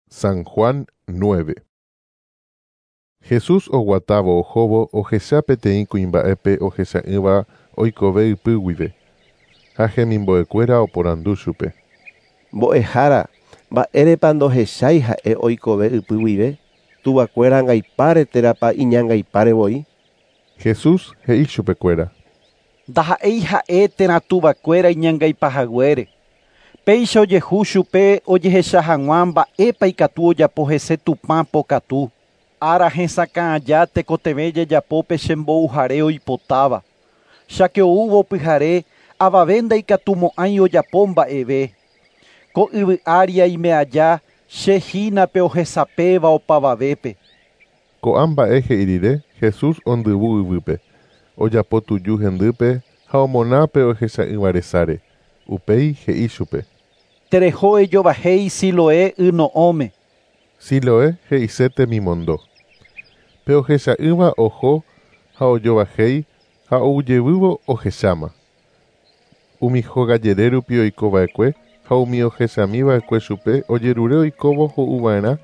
San Juan 9. Jesús oguatávo ohóvo ohecha peteĩ kuimba'épe ohecha'ỹva oikove ypy guive, ha hemimbo'ekuéra oporandu chupe. Mbo'ehára, mba'érepa ndohechái ha'e oikove ypy guive, tuvakuéra angaipáre térãpa iñangaipáre voi? Jesús he'i chupekuéra. Ndaha'éi ha'e térã tuvakuéra iñangaipahaguére. Péicha ojehu chupe ojehecha hag̃ua mba'épa ikatu ojapo hese Tupã pokatu. Ára hesakã aja tekotevẽ jajapo pe chembouhare oipotáva. Cháke oúvo pyhare avave ndaikatumo'ãi ojapo mba'eve. Ko yvy ári aime aja che hína pe ohesapéva opavavépe. Ko'ã mba'e he'i rire Jesús ondyvu yvýpe, ojapo tuju hendýpe ha omona pe ohecha'ỹva resáre. Upéi he'i chupe. Tereho ejovahéi Siloé yno'õme. Siloé he'ise temimondo. Pe ohecha'ỹva oho ha ojovahéi ha oujevývo ohecháma. Umi hóga rupi oikova'ekue ha umi ohechamiva'ekue chupe ojerure oikóvo ho'uva'erã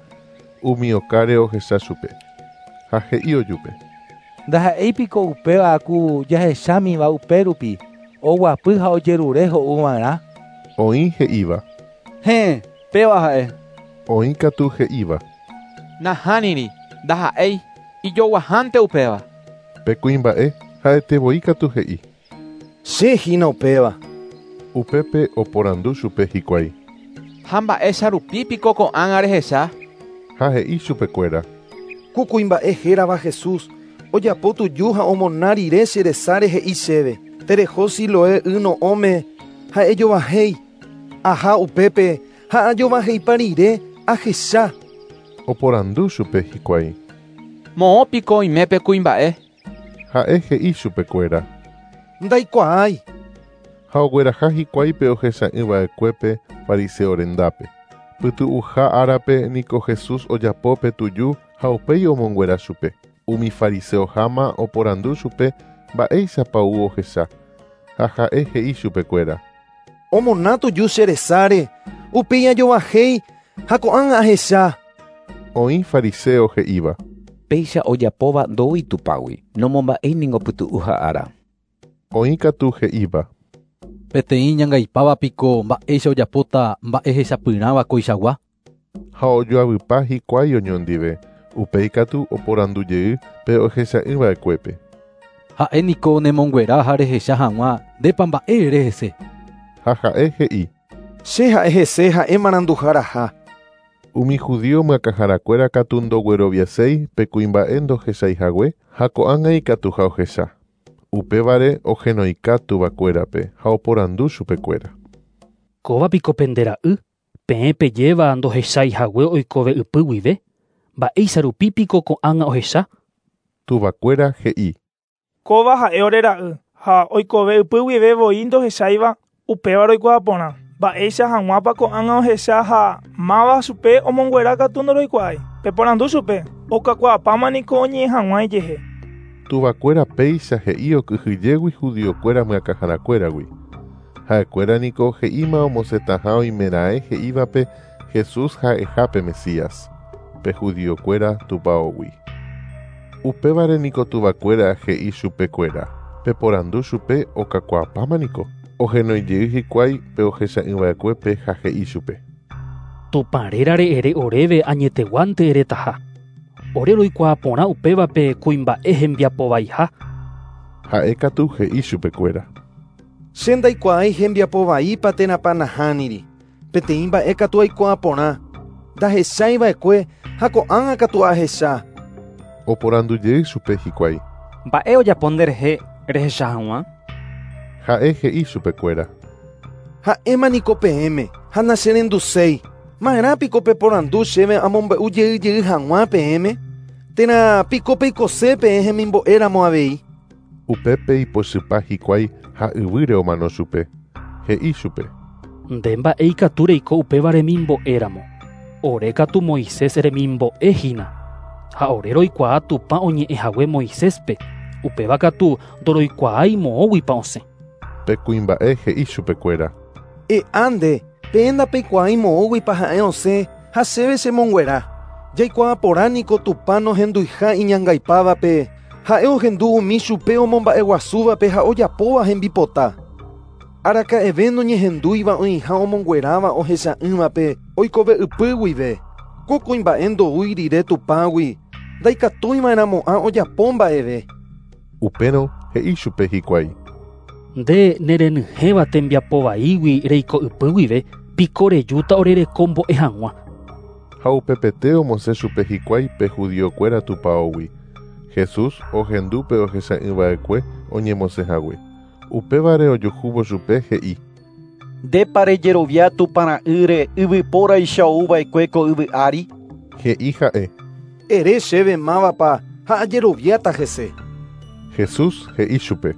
umi okáre ohecha chupe. Ha he'i ojupe. Ndaha'éipiko upéva ku jahechámiva upérupi oguapy ha ojerure ho'uva'erã. Oĩ he'íva. Héẽ, péva ha'e. Oĩ katu he'íva. Nahániri, ndaha'éi, ijoguahánte upéva. Pe kuimba'e ha'etevoi katu he'i. Che hína upéva. Upépe oporandu chupe hikuái. Ha mba'éicha rupípiko ko'ág̃a rehecha? Ha he'i chupekuéra. Ku kuimba'e hérava Jesús ojapo tuju ha omona rire che resáre he'i chéve. Tereho Siloé yno'õme ha ejovahéi. Aha upépe ha ajovaheipa rire ahecha. Oporandu chupe hikuái. Moõpiko oime pe kuimba'e? Ha'e he'i chupekuéra. Ndaikuaái. Ha ogueraha hikuái pe ohecha'ỹva'ekuépe fariseo rendápe. Pytu'uha árape niko Jesús ojapo pe tuju ha upéi omonguera chupe. Umi fariseoháma oporandu chupe mba'éichapa ou ohecha. Ha ha'e he'i chupekuéra. Omona tuju che resáre, upéi ajovahéi ha ko'ág̃a ahecha. Oĩ fariseo he'íva. Péicha ojapóva ndoúi Tupãgui, nomomba'éi pytu'uha ára. Oĩ katu he'íva. Peteĩ ñangaipávapiko mba'éicha ojapóta mba'e hechapyrãva koichagua. Ha ojoavypa hikuái oñondive, upéi katu oporandujey pe ohecha'ỹva'ekuépe. Ha'e niko nemonguera ha rehecha hag̃ua ndépa mba'e ere hese. Ha ha'e he'i. Che ha'e hese ha'e maranduharaha. Umi judío myakãharakuéra katu ndogueroviaséi pe kuimba'e ndohechaihague ha ko'ág̃a ikatuha ohecha. Upévare ohenoika tuvakuérape ha oporandu chupekuéra. Kóvapiko pendera'y, peẽ pejéva ndohechaihague oikove ypy guive, mba'éicha rupípiko ko'ág̃a ohecha? Tuvakuéra he'i. Kóva ha'e ore ra'y ha oikove ypy guive voi ndohecháiva upéva roikuaa porã. Mba'éicha hag̃uápa ko'ág̃a ohecha ha máva chupe omonguera katu ndoroikuaái. Peporandu chupe, okakuaapáma niko oñe'ẽ hag̃ua ijehe. Tuvakuéra péicha he'i okyhyjégui judiokuéra myakãharakuéragui. Ha'ekuéra niko he'íma omosẽtaha oimeraẽ he'ívape Jesús ha'eha pe Mesías, pe judiokuéra tupãógui. Upévare niko tuvakuéra he'i chupekuéra. Peporandu chupe okakuaapáma niko. Ohenoijey hikuái pe ohecha'ỹva'ekuépe ha he'i chupe. Tupã rérare ere oréve añeteguánte eretaha. Ore roikuaa porã upévape kuimba'e hembiapovaiha. Ha'e katu he'i chupekuéra. Che ndaikuaái hembiapovaípa térãpa nahániri. Peteĩ mba'e katu aikuaa porã. Ndahecháiva'ekue ha ko'ág̃a katu ahecha. Oporandujey chupe hikuái. Mba'e ojapo nderehe rehecha hag̃ua? Ha'e he'i chupekuéra. Ha'éma niko peẽme ha nacherenduséi. Ma'erãpiko peporandu chéve amombe'u jey jey hag̃ua peẽme? Térã piko peikose peẽ hemimbo'éramo avei. Upépe ipochypa hikuái ha yvýre omano chupe. He'i chupe. Nde mba'e ikatu reiko upéva remimbo'éramo. Ore katu Moisés remimbo'e hína. Ha ore roikuaa Tupã oñe'ẽhague Moiséspe. Upéva katu ndoroikuaái moõguipa osẽ. Pe kuimba'e he'i chupekuéra. E'a nde, peẽ ndapeikuaái moõguipa ha'e osẽ ha chéve chemonguera. Jaikuaa porã niko Tupã nohenduiha iñangaipávape, ha'e ohendu umi chupe omomba'eguasúvape ha ojapóva hembipota. Araka'eve noñehendúiva oĩha omongueráva ohecha'ỹvape oikove ypy guive. Ko kuimba'e ndoúi rire Tupãgui, ndaikatúiva'erãmo'ã ojapo mba'eve. Upérõ he'i chupe hikuái. Nde nerenyhẽva tembiapo vaígui reiko ypy guive, piko rejúta orerekombo'e hag̃ua. Ha upepete omosẽ chupe hikuái pe judiokuéra tupãógui. Jesús ohendu pe ohecha'ỹva'ekue oñemosẽhague. Upévare ojuhúvo chupe he'i. Ndépa rejerovia Tupãra'ýre yvypóraicha ouva'ekue ko yvy ári? He'i ha'e. Ere chéve mávapa ha ajeroviáta hese. Jesús he'i chupe.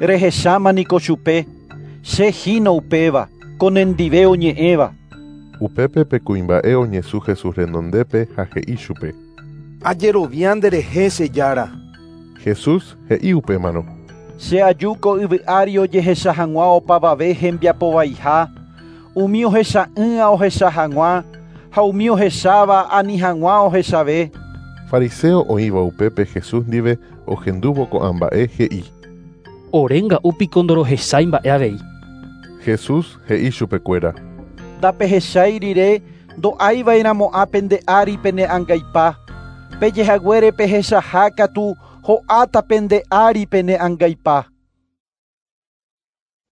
Rehecháma niko chupe, che hína upéva, ko nendive oñe'ẽva. Upépe pe kuimba'e oñesũ Jesús renondépe ha he'i chupe. Ajerovia nderehe che Jára. Jesús he'i upémarõ. Che aju ko yvy ári ojehecha hag̃ua opavave hembiapovaiha, umi ohecha'ỹa ohecha hag̃ua ha umi ohecháva ani hag̃ua ohechave. Fariseo oĩva upépe Jesús ndive ohendúvo ko'ã mba'e he'i. Orénga'u piko ndorohechái mba'e avei. Jesús he'i chupekuéra. Ndapehechái rire ndo'aiva'erãmo'ã pende ári pene angaipa. Pejehaguére pehechaha katu ho'áta pende ári pene angaipa.